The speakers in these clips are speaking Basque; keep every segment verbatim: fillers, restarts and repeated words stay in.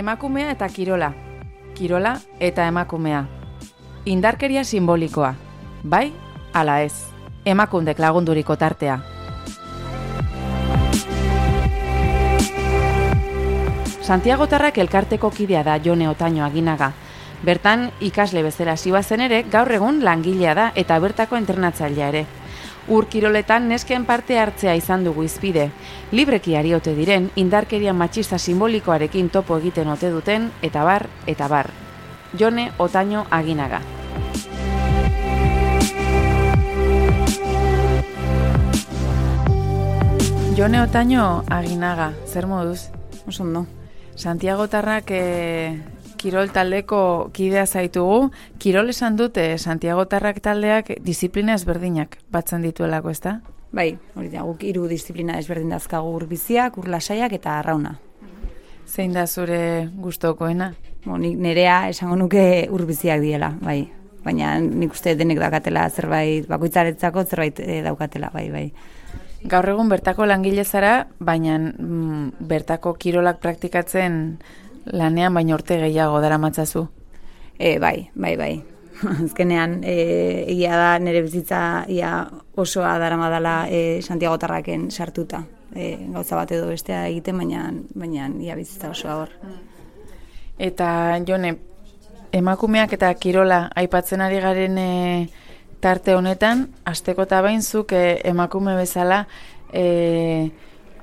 Emakumea eta kirola. Kirola eta emakumea. Indarkeria simbolikoa. Bai, ala ez. Emakundek lagunduriko tartea. Santiagotarrak elkarteko kidea da Jone Otaño Aginaga. Bertan ikasle bezala hasi bazen ere, gaur egun langilea da eta bertako entrenatzailea ere. Ur kiroletan nesken parte hartzea izan dugu izpide. Libreki ari ote diren, indarkeria matxista simbolikoarekin topo egiten ote duten, eta bar, eta bar. Jone Otaño Aginaga. Jone Otaño Aginaga, zer moduz? Oso ondo. Santiagotarrak eh, kirol taldeko kidea zaitugu. Kirol esan dute Santiagotarrak taldeak disiplina ezberdinak batzen dituelako, ezta? Bai, hori da, guk hiru disiplina ezberdin dazkagu ur biziak, ur lasaiak eta arrauna. Zein da zure gustokoena? Bo, nik nerea esango nuke ur biziak diela, bai. Baina nik uste denek daukatela zerbait, bakoitzaretzako zerbait e, daukatela, bai, bai. Gaur egun bertako langile zara, baina mm, bertako kirolak praktikatzen lanean baina urte gehiago daramatzazu. E, bai, bai, bai. Azkenean, e, egia da nire bizitza ia osoa daramadala e, Santiagotarraken sartuta. E, gauza bat edo bestea egiten, baina, baina ia bizitza osoa hor. Eta, Jone, emakumeak eta kirola aipatzen ari garen e, tarte honetan, asteko eta bainzuk e, emakume bezala e,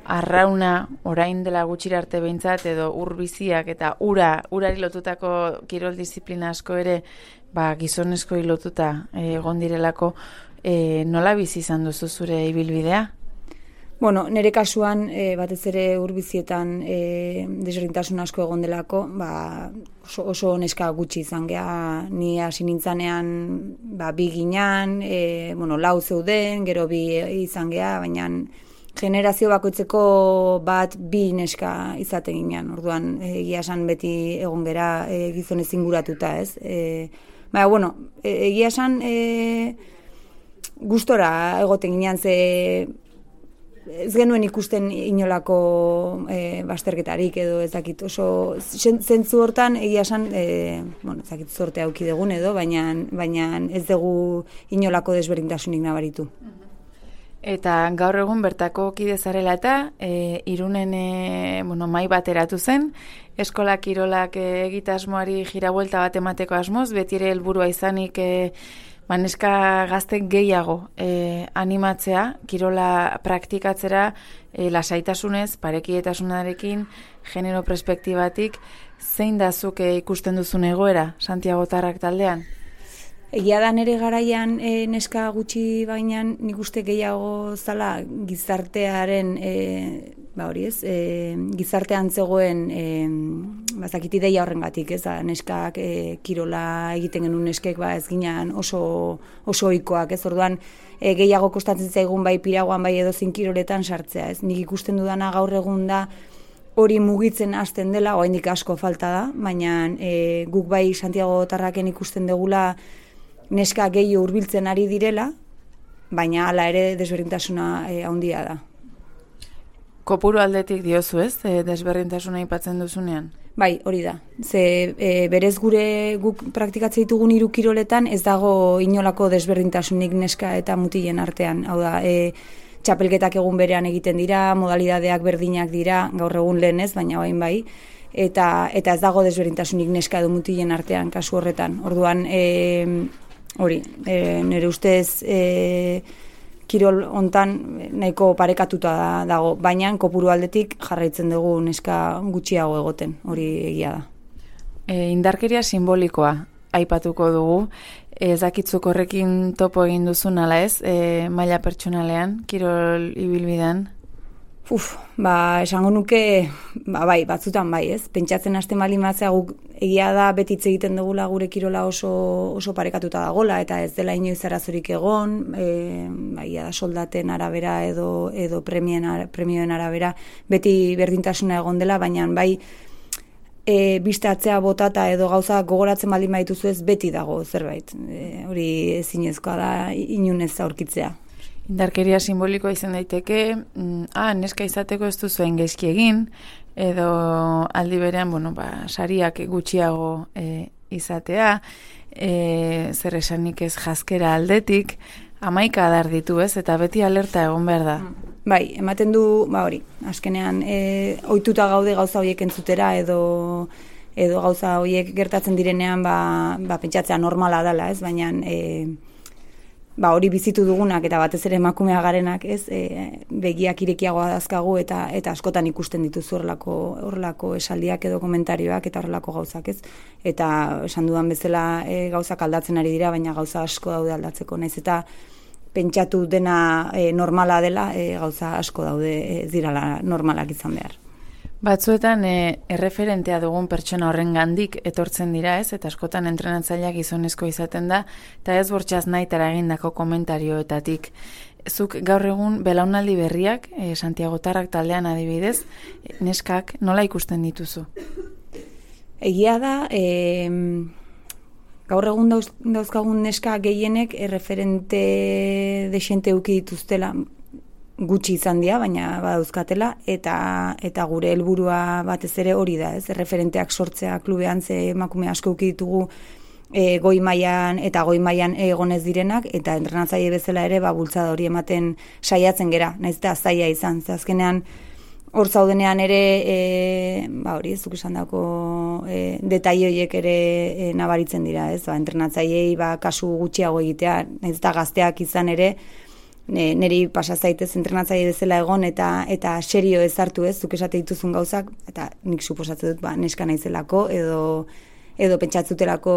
arrauna orain dela gutxira arte behintzat edo ur biziak eta ura, urari lotutako kirol disiplina asko ere ba, gizonezko lotuta e, egon direlako, e, nola bizi izan duzu zure ibilbidea? Bueno, nire kasuan, e, batez ere urbizietan e, desberdintasun asko egon delako, ba, oso, oso neska gutxi izan geha, ni hasi nintzanean ba, bi ginean, e, bueno, lau zeuden, gero bi izan geha, baina generazio bakoitzeko bat bi neska izaten ginean, orduan egia esan beti egon gera e, gizonez inguratuta, ez? E, baina, bueno, e, egia esan e, gustora egoten ginean, ze ez genuen ikusten inolako e, basterketarik edo ez dakit oso zentzu hortan egia esan e, bueno, ez dakit zorte auki dugun edo, baina, baina ez dugu inolako desberdintasunik nabaritu. Eta gaur egun bertako kide zarela eta e, Irunen e, bueno, mai bat eratu zen, eskola kirolak e, egitasmoari jirabuelta bat emateko asmoz, beti ere helburua izanik e, Baneska gaztek gehiago eh, animatzea, kirola praktikatzera eh, lasaitasunez, parekietasunarekin, genero perspektibatik, zein da zuk eh, ikusten duzun egoera Santiagotarrak taldean? Egia da nire garaian e, neska gutxi baina nik uste gehiago zala gizartearen, e, ba hori ez, e, gizartean zegoen e, bazakit ideia horrengatik, ez da, neskak e, kirola egiten genuen neskek ba ez ginean oso, oso ohikoak, ez orduan e, gehiago kostatzen zaigun bai piraguan bai edo zin kiroletan sartzea, ez nik ikusten dudana gaur egun da hori mugitzen hasten dela, oraindik asko falta da, baina e, guk bai Santiagotarraken ikusten degula neska gehiago hurbiltzen ari direla, baina hala ere desberdintasuna e, handia da. Kopuru aldetik diozu ez, e, desberdintasuna aipatzen duzunean? Bai, hori da. Ze e, berez gure guk praktikatzen ditugun hiru kiroletan ez dago inolako desberdintasunik neska eta mutilen artean. Hau da, e, txapelketak egun berean egiten dira, modalidadeak berdinak dira, gaur egun lehen ez, baina bain bai. Eta, eta ez dago desberdintasunik neska edo mutilen artean kasu horretan. Orduan, e, hori, e, nire ustez e, kirol hontan nahiko parekatuta dago, baina kopuru aldetik jarraitzen dugu neska gutxiago egoten, hori egia da. E, indarkeria simbolikoa aipatuko dugu, ez dakitzuk horrekin topo egin duzun ala ez, e, maila pertsonalean, kirol ibilbidean? Uf, ba, esango nuke, ba, bai, batzutan bai, ez? Pentsatzen hasten baldin batzea guk egia da beti hitz egiten dugula gure kirola oso, oso parekatuta dagola eta ez dela inoiz arazorik egon, e, ba, egia da soldaten arabera edo, edo premien, premioen arabera beti berdintasuna egon dela, baina bai e, bistatzea botata edo gauza gogoratzen baldin baituzu ez beti dago zerbait. E, hori ezinezkoa da inunez aurkitzea. Indarkeria simbolikoa izan daiteke, mm, ah, neska izateko ez duzuen gaizki egin, edo aldi berean, bueno, ba, sariak gutxiago e, izatea, e, zer esanik ez jaskera aldetik, hamaika adar ditu ez, eta beti alerta egon behar da. Bai, ematen du, ba hori, azkenean, e, ohituta gaude gauza horiek entzutera, edo edo gauza horiek gertatzen direnean, ba, ba pentsatzea normala dela, ez, baina e, ba hori bizitu dugunak eta batez ere emakumea garenak, ez, e, begiak irekiagoa dazkagu eta eta askotan ikusten dituzu horrelako horrelako esaldiak edo komentarioak eta horrelako gauzak, ez. Eta esan dudan bezala e, gauzak aldatzen ari dira, baina gauza asko daude aldatzeko, naiz eta pentsatu dena e, normala dela, e, gauza asko daude ez dirala normalak izan behar. Batzuetan e, erreferentea dugun pertsona horren gandik etortzen dira, ez? Eta askotan entrenatzaileak gizonezko izaten da, eta ez bortxaz nahitara egindako komentarioetatik. Zuk gaur egun belaunaldi berriak, e, Santiagotarrak taldean adibidez, neskak nola ikusten dituzu? Egia da, e, gaur egun dauz, dauzkagun neska gehienek erreferente desente uki dituztela, gutxi izan dira, baina badauzkatela, eta eta gure helburua batez ere hori da, ez? Referenteak sortzea klubean, ze emakume asko uki ditugu e, goi mailan eta goi mailan egonez direnak, eta entrenatzaile bezala ere ba bultzada hori ematen saiatzen gera, naiz eta zaila izan. Ze azkenean hor zaudenean ere e, ba hori, ez duk esandako e, detaile horiek ere e, nabaritzen dira, ez? Ba entrenatzaileei ba kasu gutxiago egitea, naiz eta gazteak izan ere neri pasa zaitez entrenatzaile bezala egon eta eta serio ez hartu, ez, zuk esate dituzun gauzak, eta nik suposatzen dut ba neska naizelako edo edo pentsatzutelako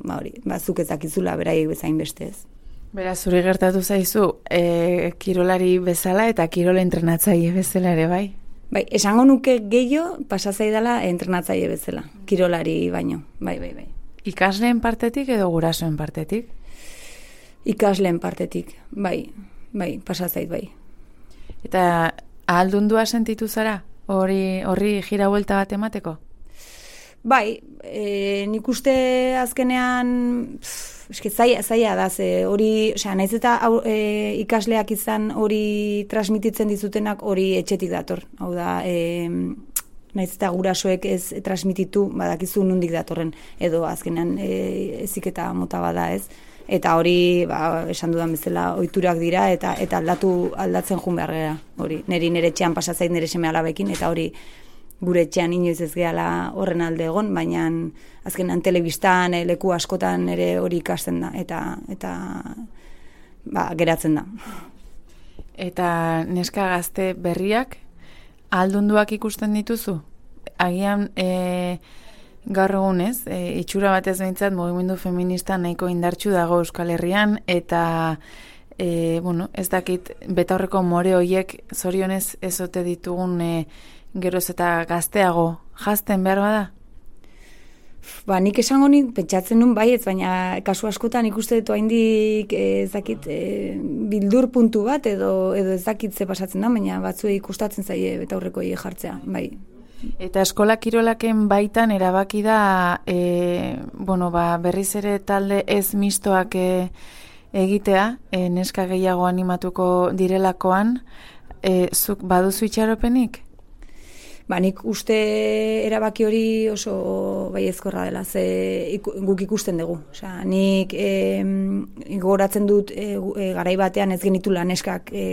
ba hori, ba zuk ez dakizula beraiek bezain beste, ez. Beraz, zuri gertatu zaizu e, kirolari bezala eta kirola entrenatzaile bezala ere, bai? Bai, esango nuke gehiago pasa zaidala entrenatzaile bezala, kirolari baino, bai, bai, bai. Ikasleen partetik edo gurasoen partetik? Ikasleen partetik, bai, bai, pasa zait, bai. Eta ahaldundua sentitu zara, hori horri gira vuelta bat emateko? Bai, e, nik uste azkenean, pff, eske zaila, zaila da, ze hori, osea, naiz eta e, ikasleak izan hori transmititzen dizutenak hori etxetik dator. Hau da, e, naiz eta gurasoek ez transmititu, badakizu nondik datorren, edo azkenean e, heziketa mota bada, ez. Eta hori, ba, esan dudan bezala, ohiturak dira, eta eta aldatu aldatzen joan behar gara. Hori, niri nire etxean pasa zait nire seme alabekin, eta hori gure etxean inoiz ez gehala horren alde egon, baina azkenean telebistan, leku askotan ere hori ikasten da, eta eta ba, geratzen da. Eta neska gazte berriak, ahaldunduak ikusten dituzu? Agian, e, gaur egun ez, e, itxura batez behintzat mugimendu feminista nahiko indartsu dago Euskal Herrian, eta e, bueno, ez dakit betaurreko more hoiek zorionez ez ote ditugun e, geroz eta gazteago jazten behar bada? Ba, nik esango nik pentsatzen nun baietz, baina kasu askotan ikuste dut haindik ez dakit e, bildur puntu bat edo edo ez dakit ze pasatzen da, baina batzuei ikustatzen zaie betaurreko hiek jartzea, bai. Eta eskola kirolaken baitan erabaki da e, bueno, ba, berriz ere talde ez mistoak e, egitea, e, neska gehiago animatuko direlakoan, e, zuk baduzu itxaropenik? Ba, nik uste erabaki hori oso baiezkorra dela, ze iku, guk ikusten dugu. Osea, nik e, gogoratzen dut e, e, garai batean ez genitula neskak e,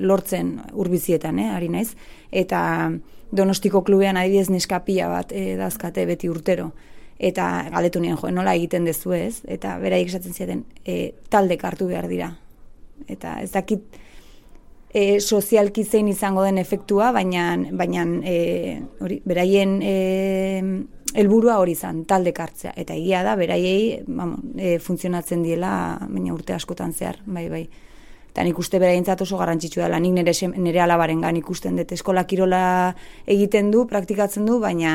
lortzen urbizietan, eh, ari naiz, eta Donostiko klubean adibidez neska pila bat e, dazkate beti urtero. Eta galdetu nien, jo, nola egiten dezu ez? Eta beraik esaten zieten, e, taldek hartu behar dira. Eta ez dakit e, sozialki zein izango den efektua, baina, baina e, hori, beraien e, helburua hori izan, taldek hartzea. Eta egia da, beraiei vamos, e, funtzionatzen diela, baina urte askotan zehar, bai, bai. Eta nik uste beraientzat oso garrantzitsua dela, nik nire, nire alabarengan ikusten dut, eskola kirola egiten du, praktikatzen du, baina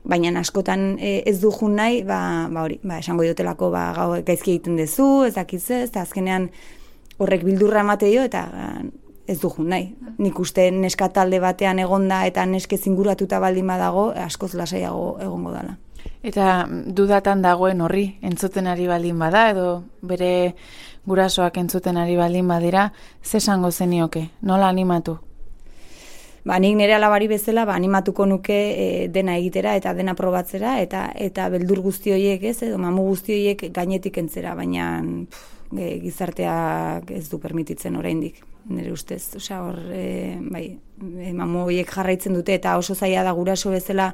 baina askotan e, ez du jun nahi, ba, ba hori, ba, esango diotelako ba, gau, gaizki egiten duzu, ez dakitze, eta azkenean horrek bildurra emate dio, eta ez du jun nahi. Nik uste neska talde batean egonda eta neske zinguratuta baldin badago, askoz lasaiago egongo dela. Eta dudatan dagoen horri, entzuten ari baldin bada, edo bere gurasoak entzuten ari baldin badira, ze esango zenioke, nola animatu? ba, nik nire alabari bezala, ba, animatuko nuke e, dena egitera eta dena probatzera, eta eta beldur guzti horiek, ez, edo mamu guzti horiek gainetik entzera, baina pff, e, gizarteak ez du permititzen oraindik, nire ustez. Osea, hor, e, bai, e, mamu horiek jarraitzen dute, eta oso zaila da guraso bezala,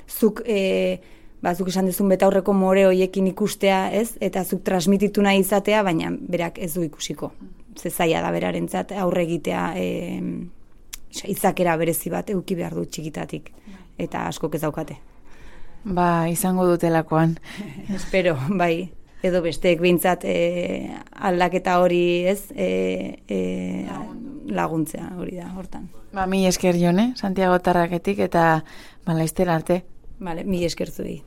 zuk, e, ba, zuk esan dezun betaurreko more horiekin ikustea, ez, eta zuk transmititu nahi izatea, baina berak ez du ikusiko. Ze zaila da berarentzat aurre egitea, e, izakera berezi bat eduki behar du txikitatik, eta askok ez daukate. Ba, izango dutelakoan. Espero, bai, edo besteek behintzat e, aldaketa hori, ez, e, e, laguntzea hori da, hortan. Ba, mi esker Jone, Santiago Tarraketik, eta ba, laizter arte. Vale, mi esker zuei.